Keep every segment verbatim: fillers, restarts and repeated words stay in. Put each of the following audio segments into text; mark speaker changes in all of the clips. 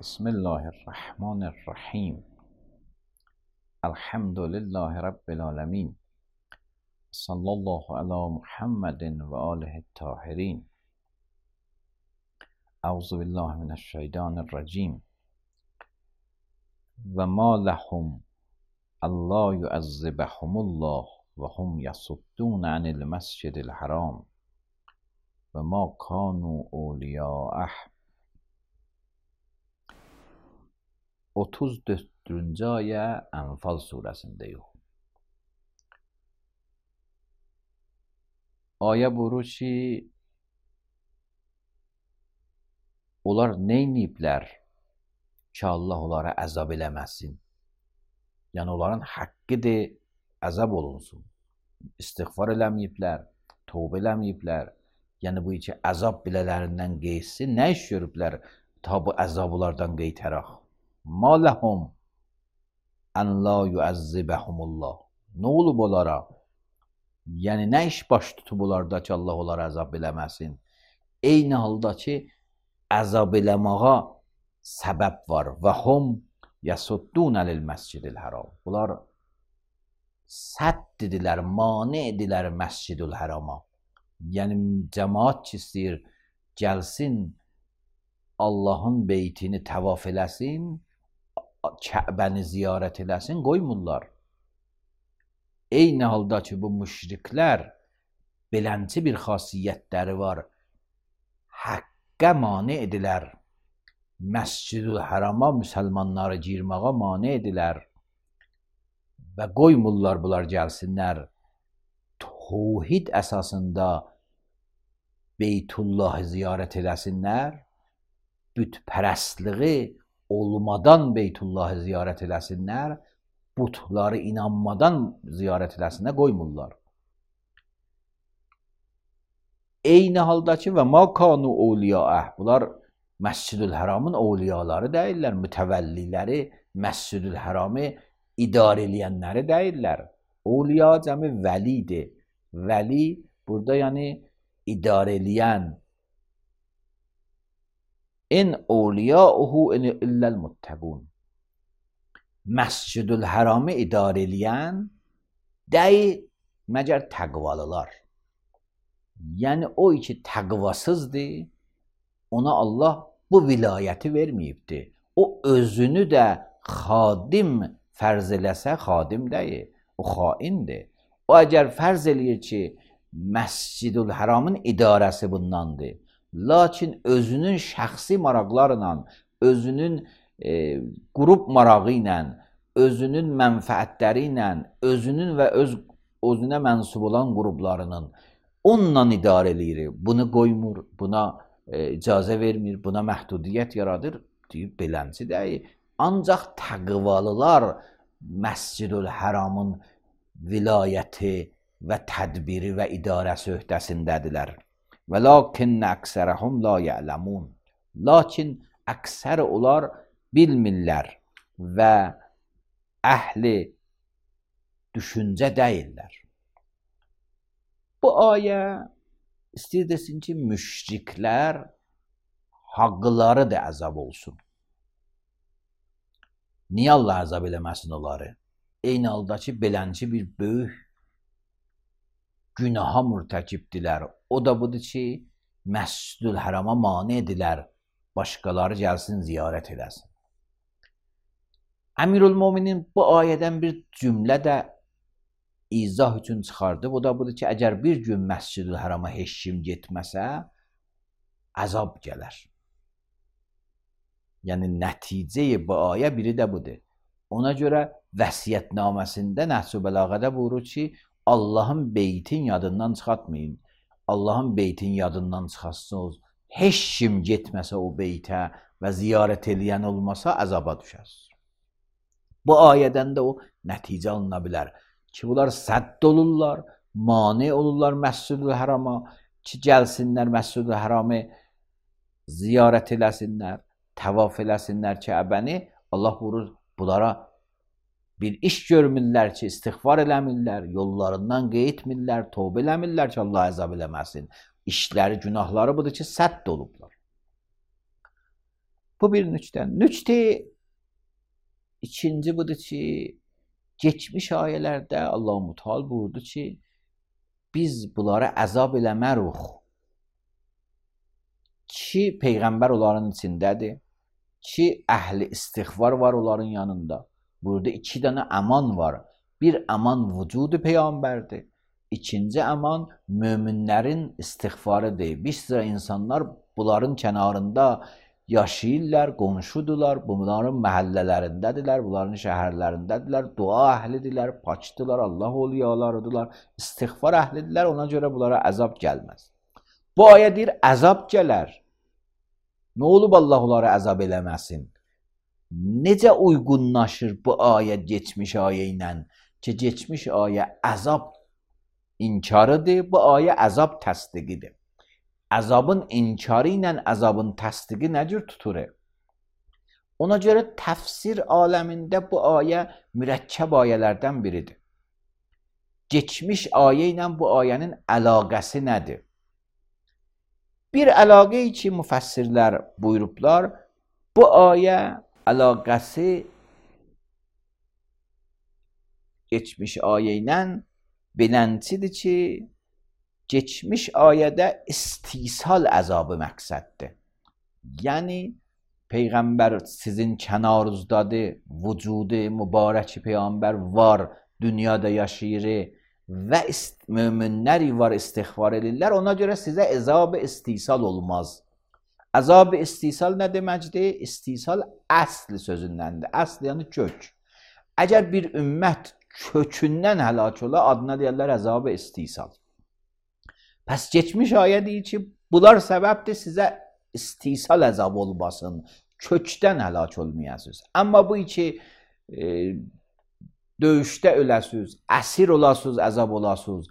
Speaker 1: Bismillahirrahmanirrahim. Elhamdülillahi Rabbil alemin. Sallallahu ala Muhammedin ve alihi tahirin. Euzu billahi mineşşeytanirracim. Ve ma lehum Allah yuazzibahumullah ve hum yasuddun anil mescidil haram ve ma kanu awliya'ah. otuz dördüncü ayə Ənfal surəsindəyik. Ayə buyurur ki, onlar neyniyiblər ki, Allah onlara əzab eləməsin? Yəni, onların haqqıdır, əzab olunsun. İstiğfar eləməyiblər, tövbə eləməyiblər. Yəni, bu iki əzab bilələrindən qeysi, nə iş görüblər ta bu əzablardan qeytərək? Ma ləhum ən la yuəzzibəhumullah. Nə olub onlara? Yəni, nə iş baş tutub onlarda ki, Allah onlara əzab eləməsin? Eyni halda ki, əzab eləməğa səbəb var. Və hum yasuddun əlil məscidil haram. Bunlar sədd edilər, mane edilər məscidül harama. Yəni, cəmaat ki, istəyir, gəlsin, Allahın beytini təvaf eləsin, Kəbəni ziyarət eləsin, qoymurlar. Eyni halda ki, bu müşriklər belənci bir xasiyyətləri var. Həqqə mane edilər. Məscidül harama müsəlmanları girməğa mane edilər. Və qoymurlar bunlar gəlsinlər. Tövhid əsasında Beytullahı ziyarət eləsinlər. Bütpərəstliği olmadan Beytullahı ziyarət eləsinlər, butları inanmadan ziyarət eləsinlər, qoymurlar. Eyni halda ki, və ma kanu awliyaah, bunlar Məscidül Haramın awliyaları deyirlər, mütəvəlliləri, Məscidül Haramı idarə eləyənləri deyirlər. Awliya cəmi vəlidir. Vəli, burada yəni idarə eləyən. İn awliyauhu illəl muttəqun. Məscidül Haramı idarə eləyən dəyi məgər təqvalılar. Yəni o ki təqvasızdır, ona Allah bu vilayəti verməyibdir. O özünü də xadim fərz eləsə xadim deyil, o xaindir. O əgər fərz eləyir ki, Məscidül Haramın idarəsi bundandır. Lakin özünün şəxsi maraqlarla, özünün e, qrup marağı ilə, özünün mənfəətləri ilə, özünün və öz özünə mənsub olan qruplarının onunla idarə eləyir. Bunu qoymur, buna e, icazə vermir, buna məhdudiyyət yaradır, deyib belənci deyil. Ancaq təqvalılar Məscidül Haramın vilayəti və tədbiri və idarəsi öhdəsindədirlər. Və lakinnə əksərəhum la ya'ləmun. Lakin əksər onlar bilmirlər və əhli düşüncə deyirlər. Bu ayə istəyir desin ki, müşriklər haqqları da əzab olsun. Niyə Allah əzab eləməsin onları? Eyni halda ki, belənci bir böyük günaha mürtəkibdilər. O da budur ki, Məscidül Harama mane edilər, başqaları gəlsin, ziyarət eləsin. Əmirül Möminin bu ayədən bir cümlə də izah üçün çıxardı. O da budur ki, əgər bir gün Məscidül Harama heç kim getməsə, əzab gələr. Yəni, nəticəyi bu ayə biri də budur. Ona görə vəsiyyətnaməsində Nəhcü Bəlağədə buyurur ki, Allahın beytin yadından çıxartmayın. Allahın beytin yadından çıxarsınız. Heç kim getməsə o beytə və ziyarət eləyən olmasa əzaba düşər. Bu ayədən də o nəticə alına bilər ki, bunlar sədd olurlar, mane olurlar Məscidül Harama ki, gəlsinlər Məscidül Haramı ziyarət eləsinlər, təvaf eləsinlər Kəbəni. Allah buyurur, bunlara bir iş görmürlər ki, istiğfar eləmirlər, yollarından qeytmirlər, tövbə eləmirlər ki, Allah əzab eləməsin. İşləri, günahları budur ki, sədd olublar. Bu bir nüçdən. Nüçti ikinci budur ki, geçmiş ayələrdə Allah-u Müteal buyurdu ki, biz bunlara əzab eləməruq ki, Peyğəmbər onların içindədir, ki, əhli istiğfar var onların yanında. Burada iki dənə əman var. Bir əman vücudu Peyğəmbərdir. İkinci əman möminlərin istiğfarıdır. Bir sıra insanlar bunların kənarında yaşayırlar, qonşudular, bunların məhəllələrindədirlər, bunların şəhərlərindədirlər, dua əhlidirlər, paçdılar, Allah oliyalarıdırlar, istiğfar əhlidirlər, ona görə bunlara əzab gəlməz. Bu ayə deyir, əzab gələr. Nə olub Allah onlara əzab eləməsin? Necə uyğunlaşır bu ayə geçmiş ayə ilə ki, geçmiş ayə əzab inkarıdır, bu ayə əzab təsdiqidir. Əzabın inkarı ilə əzabın təsdiqi nə cür tutur? Ona görə təfsir aləmində bu ayə mürəkkəb ayələrdən biridir. Geçmiş ayə ilə bu ayənin əlaqəsi nədir? Bir əlaqə ki, müfəssirlər buyurublar, bu ayə əlaqəsi geçmiş ayə ilə bilənçidir ki, geçmiş ayədə istisal əzabı məqsəddir. Yəni, Peyğəmbər sizin kənarınızdadır, vücudu mübarəki Peyğəmbər var, dünyada yaşayır və möminlər var, istiğfar edirlər, ona görə sizə əzab-ı istisal olmaz. Əzab-ı istisal nə deməkdir? İstisal əsl sözündəndir. Əsl yəni kök. Əgər bir ümmət kökündən həlak ola, adına deyərlər əzab-ı istisal. Pəs geçmiş ayə deyir ki, bunlar səbəbdir sizə istisal əzab olmasın, kökdən həlak olmayasınız. Amma bu ki, e, döyüşdə öləsiniz, əsir olasınız, əzab olasınız,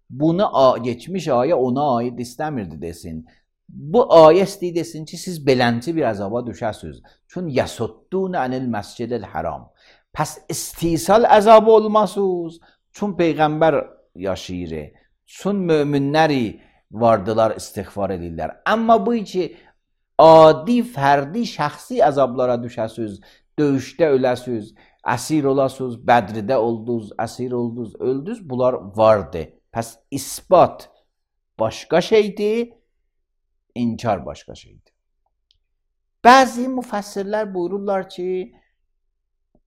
Speaker 1: bunu geçmiş ayə ona aid istəmirdi desin. Bu ayə istəyir desin ki, siz belənci bir əzaba düşəsiniz. Çün yəsuddun ənil məscidil haram. Pəs istisal əzabı olmasınız, çün Peyğəmbər yaşayır, çün möminləri vardılar, istiğfar edirlər. Amma bu ki, adi, fərdi, şəxsi əzablara düşəsiniz, döyüşdə öləsiniz, əsir olasınız, Bədridə oldunuz, əsir oldunuz, öldünüz, bunlar vardı. Pəs isbat başqa şeydir, inkar başqa şeydir. Bəzi müfəssirlər buyururlar ki,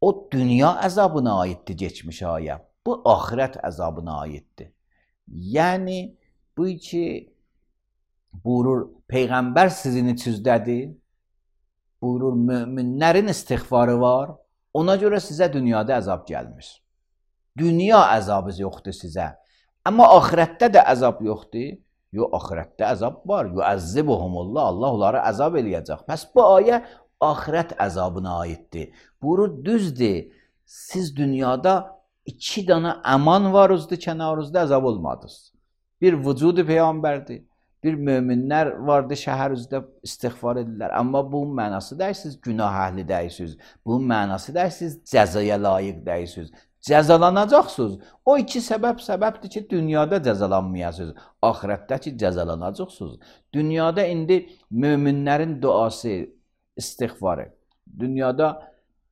Speaker 1: o dünya əzabına aiddir geçmiş ayə, bu axirət əzabına aiddir. Yəni, bu ki, buyurur, Peyğəmbər sizin içinizdədir, buyurur, möminlərin istiğfarı var, ona görə sizə dünyada əzab gəlmir. Dünya əzabı yoxdur sizə. Amma axirətdə də əzab yoxdur. Yox, axirətdə əzab var. Yuəzzibuhumullah, Allah onları əzab eləyəcək. Pəs bu ayə axirət əzabına aiddir. Buyurur, düzdür, siz dünyada iki dana əman varızdı, kənarınızda əzab olmadınız. Bir vücudu Peyğəmbərdir. Bir möminlər vardı, şəhərinizdə istiğfar edirlər. Amma bunun mənası deyil, siz günah əhli deyirsiniz. Bunun mənası deyil, siz cəzaya layiq deyirsiniz. Cəzalanacaqsınız. O iki səbəb səbəbdir ki, dünyada cəzalanmayasınız. Axirətdə ki, cəzalanacaqsınız. Dünyada indi möminlərin duası, istiğfarı. Dünyada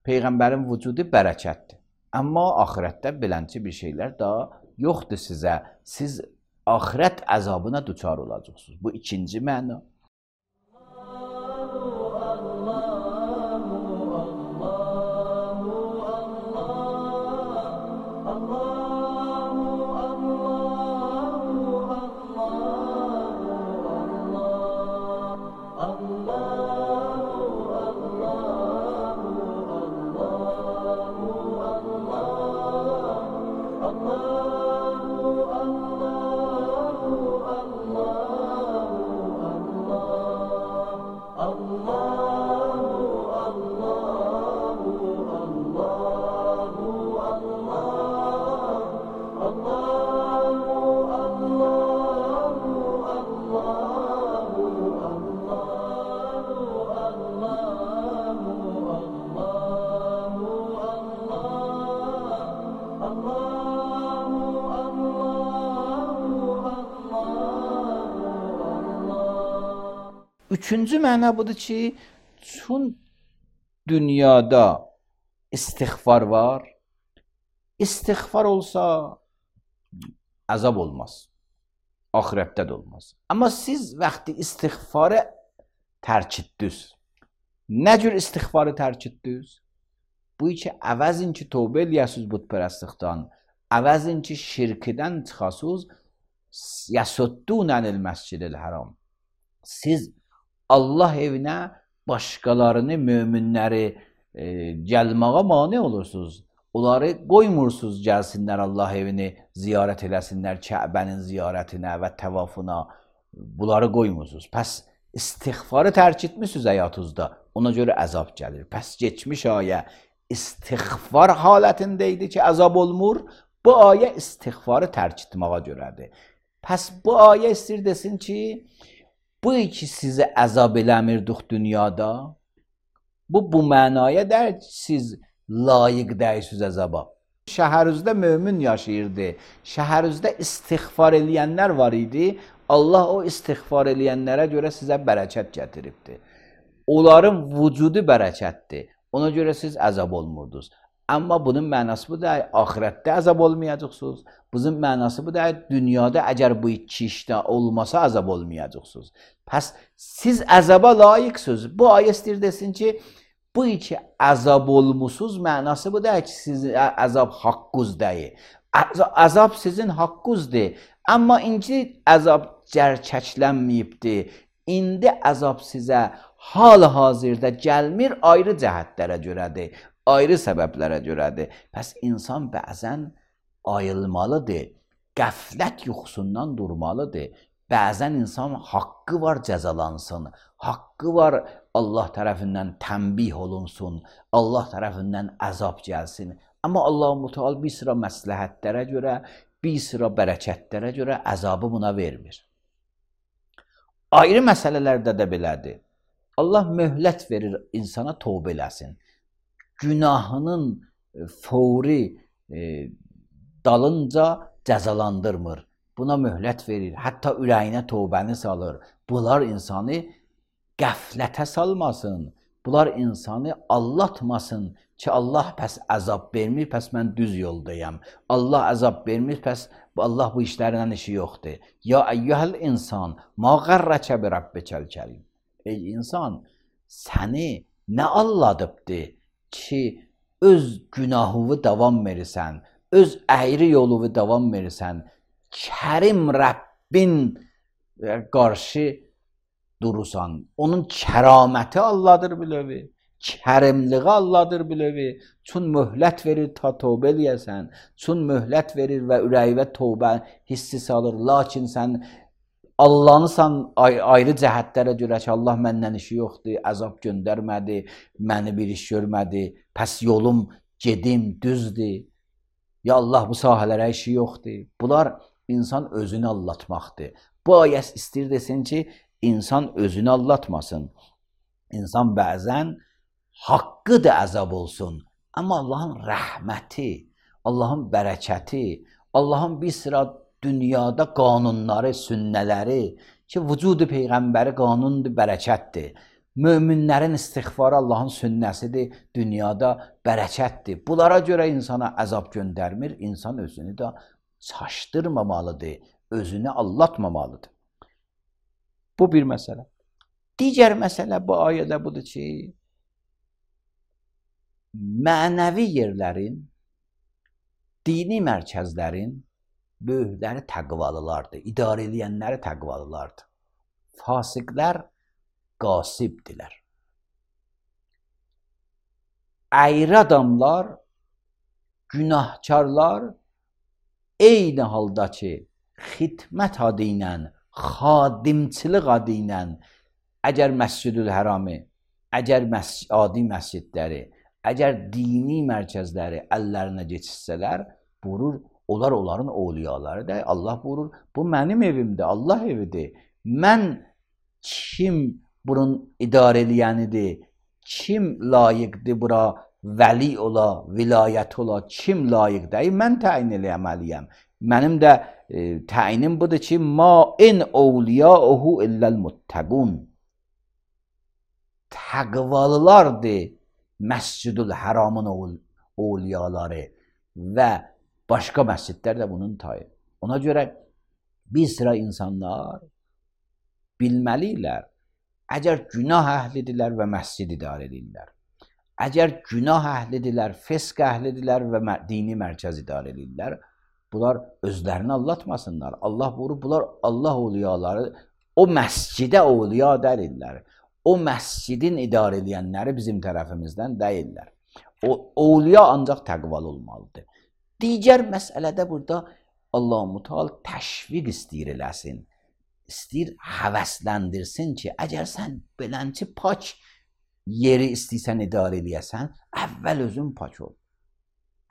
Speaker 1: Peyğəmbərin vücudu bərəkətdir. Amma axirətdə belənçi bir şeylər daha yoxdur sizə. Siz axirət əzabına düçar olacaqsınız. Bu ikinci məna. Üçüncü məna budur ki, çün dünyada istiğfar var. İstiğfar olsa əzab olmaz. Ahirətdə də olmaz. Amma siz vaxtı istiğfarı tərk etdiniz. Nə cür istiğfarı tərk etdiniz? Bu ki, əvəzin ki, tövbə eləyəsiniz bütpərəstlikdən, əvəzin ki, şirkdən çıxasınız, yəsuddunənil məscidil haram. Siz Allah evinə başqalarını, möminləri e, gəlməyə mane olursunuz. Onları qoymursunuz gəlsinlər Allah evini ziyarət eləsinlər, Kəbənin ziyarətinə və təvafına. Bunları qoymursunuz. Pəs istiğfarı tərk etmişsiniz həyatınızda. Ona görə əzab gəlir. Pəs geçmiş ayə istiğfar halətində idi ki, əzab olmur. Bu ayə istiğfarı tərk etməyə görədir. Pəs bu ayə istir desin ki, bu ki sizi əzab eləmirdik dünyada, bu bu mənaya der ki, siz layiq dəyirsiniz əzaba. Şəhərinizdə mömin yaşayırdı. Şəhərinizdə istiğfar eləyənlər var idi. Allah o istiğfar eləyənlərə görə sizə bərəkət gətiribdi. Onların vücudu bərəkətdir. Ona görə siz əzab olmurdunuz. Amma bunun mənası bu da ahirətdə əzab olmayacaqsınız. Bunun mənası bu da dünyada əgər bu iki işdə olmasa əzab olmayacaqsınız. Pəs siz əzaba layiqsiniz. Bu ayə istir desin ki, bu iki əzab olmusunuz, mənası bu da ki, sizin əzab haqqınızdır. Əzab sizin haqqınızdır. Amma indi əzab cərçəklənməyibdir. İndi əzab sizə hal-hazırda gəlmir, ayrı cəhətlərə görədir, ayrı səbəblərə görədir. Pəs insan bəzən ayılmalıdır, qəflət yuxusundan durmalıdır. Bəzən insan haqqı var cəzalansın, haqqı var Allah tərəfindən tənbih olunsun, Allah tərəfindən əzab gəlsin. Amma Allah-u Teala bir sıra məsləhətlərə görə, bir sıra bərəkətlərə görə əzabı buna vermir. Ayrı məsələlərdə də belədir. Allah möhlət verir insana tövbə eləsin. Günahının fəvri e, dalınca cəzalandırmır. Buna möhlət verir. Hətta ürəyinə tövbəni salır. Bunlar insanı qəflətə salmasın. Bunlar insanı allatmasın ki, Allah pəs əzab vermir, pəs mən düz yoldayam. Allah əzab vermir, pəs Allah bu işlərindən işi yoxdur. Ya əyyəhəl insan, ma qərrəkə bi rabbikəl kərim. Ey insan, səni nə alladıbdır ki, öz günahını davam verirsən, öz əyri yolunu davam verirsən, Kərim Rəbbin qarşı durursan, onun kəraməti Allahdır bilövi, kərimliği Allahdır bilövi, çün möhlət verir ta tövbə eləyəsən, çün möhlət verir və ürəyivə tövbə hissi salır, lakin sən Allah'ınsan ayrı cəhətlərə görə ki, Allah məndən işi yoxdur, əzab göndərmədi, məni bir iş görmədi, pəs yolum gedim düzdür, ya Allah bu sahələrə işi yoxdur. Bunlar insan özünü allatmaqdır. Bu ayət istir desin ki, insan özünü allatmasın. İnsan bəzən haqqı da əzab olsun. Amma Allahın rəhməti, Allahın bərəkəti, Allahın bir sıra dünyada qanunları, sünnələri ki, vücudu Peyğəmbəri qanundur, bərəkətdir. Möminlərin istiğfarı Allahın sünnəsidir, dünyada bərəkətdir. Bunlara görə insana əzab göndərmir, insan özünü də çaşdırmamalıdır, özünü allatmamalıdır. Bu bir məsələ. Digər məsələ bu ayədə budur ki, mənəvi yerlərin, dini mərkəzlərin böyükləri təqvalılardır, idarə edənləri təqvalılardır. Fasiqlər qasibdirlər. Əyri adamlar, günahkarlar eyni halda ki, xidmət adı ilə, xadimçilik adı ilə, əgər Məscidül Hərami, əgər məs adi məscidləri, əgər dini mərkəzləri əllərinə geçirsələr, buyurur, onlar onların ovliyalarıdır. Allah buyurur, bu mənim evimdir, Allah evidir. Mən kim bunun idarə eləyənidir, kim layiqdir bura vəli ola, vilayət ola, kim layiqdir, mən təyin eləməliyəm. Mənim də e, təyinim budur ki, ma in ovliyauhu illəl muttəqun. Təqvalılardır Məscidül Haramın ovliyaları və başqa məscidlər də bunun tayı. Ona görə bir sıra insanlar bilməlidirlər, əgər günah əhlidirlər və məscid idarə edirlər, əgər günah əhlidirlər, fisq əhlidirlər və dini mərkəz idarə edirlər, bunlar özlərini aldatmasınlar. Allah buyurur, bunlar Allah ovliyaları o məscidə ovliya dəlirlər. O məscidin idarə edənləri bizim tərəfimizdən deyirlər. O ovliya ancaq təqvalı olmalıdır. Digər məsələdə burada Allah-u Teala təşviq istəyir eləsin. İstəyir həvəsləndirsin ki, əgər sən belənçi pak yeri istəyirsən idarə edəsən, əvvəl özün pak ol.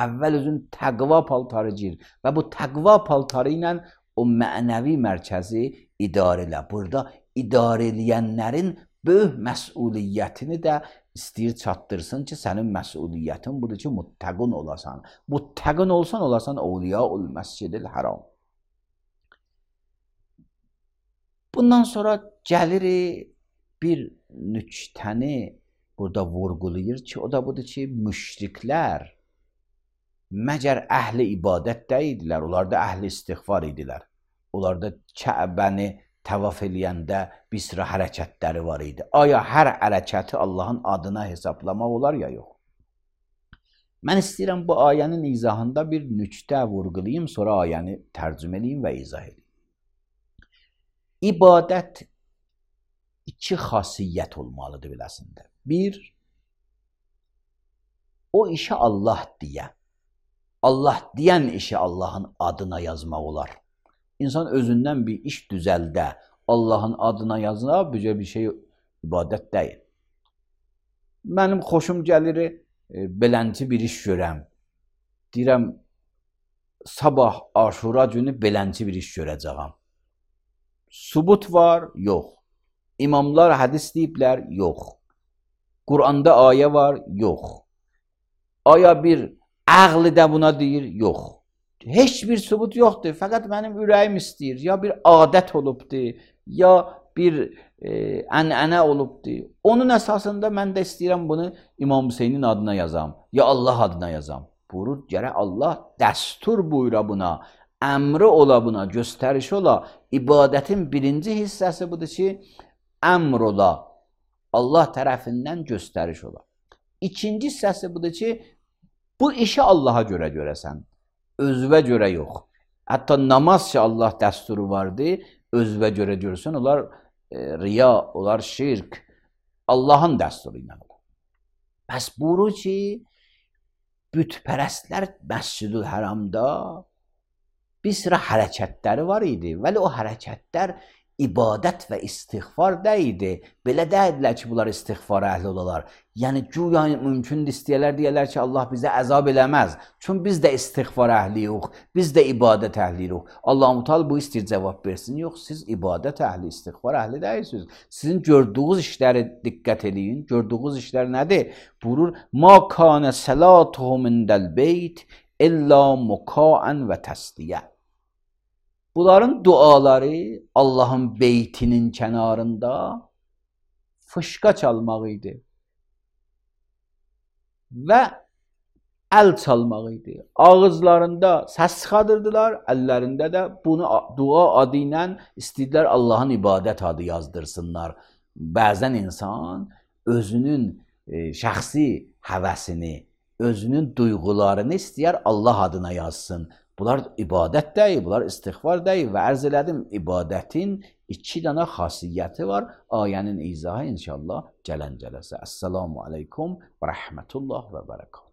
Speaker 1: Əvvəl özün təqva paltarı gir və bu təqva paltarı ilə o mənəvi mərkəzi idarə elə. Burada idarə edənlərin böyük məsuliyyətini də istəyir çatdırsın ki, sənin məsuliyyətin budur ki, muttəqun olasan. Muttəqun olsan, olasan Ovliya ol Məscidil Haram. Bundan sonra gəlir bir nüktəni burada vurğulayır ki, o da budur ki, müşriklər məgər əhli ibadət deyildilər, onlar da əhli istiğfar idilər. Onlar da Kəbəni təvaf eləyəndə bir sıra hərəkətləri var idi. Aya hər hərəkəti Allahın adına hesablamaq olar ya yox? Mən istəyirəm bu ayənin izahında bir nüktə vurğulayım, sonra ayəni tərcümə edeyim və izah edeyim. İbadət iki xasiyyət olmalıdır biləsində. Bir, o işi Allah deyə. Allah deyən işi Allahın adına yazmaq olar. İnsan özündən bir iş düzəldə, Allahın adına yazına bücə bir şey ibadət deyil. Mənim xoşum gəlir, e, belənci bir iş görəm. Deyirəm, sabah Aşura günü belənci bir iş görəcəyəm. Subut var, yox. İmamlar hədis deyiblər, yox. Quranda ayə var, yox. Aya bir əqli də buna deyir, yox. Heç bir sübut yoxdur, fəqət mənim ürəyim istəyir. Ya bir adət olubdur, ya bir e, ənənə olubdur. Onun əsasında mən də istəyirəm bunu İmam Hüseynin adına yazam, ya Allah adına yazam. Buyurur, gərək Allah dəstur buyura buna, əmri ola buna, göstərişi ola. İbadətin birinci hissəsi budur ki, əmr ola, Allah tərəfindən göstəriş ola. İkinci hissəsi budur ki, bu işi Allaha görə görəsən. Özvə görə yox. Hətta namaz ki Allah dəsturu vardı, özvə görə görsən, onlar e, riya, onlar şirk, Allahın dəsturu ilə olur. Bəs buyurur ki, bütpərəstlər Məscidül Haramda bir sıra hərəkətləri var idi. Vəli o hərəkətlər ibadət və istiğfar deyildi. Belə deyildilər ki, bunlar istiğfar əhli olalar. Yəni, güya mümkündür istəyərlər, deyərlər ki, Allah bizə əzab eləməz. Çünki biz də istiğfar əhli yox, biz də ibadət əhli yox. Allah-u Teala bu istəyir cavab versin. Yox, siz ibadət əhli, istiğfar əhli deyilsiniz. Sizin gördüyünüz işləri diqqət edin. Gördüyünüz işlər nədir? Buyurur, مَا كَانَ صَلَاتُهُمْ عِنْدَ الْبَيْتِ إِلَّا مُكَاءً وَتَسْدِيَةً. Bunların duaları Allahın beytinin kənarında fışqa çalmaq idi və əl çalmaq idi. Ağızlarında səs çıxadırdılar, əllərində də bunu dua adı ilə istədilər Allahın ibadət adı yazdırsınlar. Bəzən insan özünün e, şəxsi həvəsini, özünün duyğularını istəyər Allah adına yazsın. Bunlar ibadət deyil, bunlar istiğfar deyil və ərz elədim, ibadətin iki dənə xasiyyəti var. Ayənin izahı inşallah gələn cələsə. Əssalamu aleykum və rəhmətullah və bərəkət.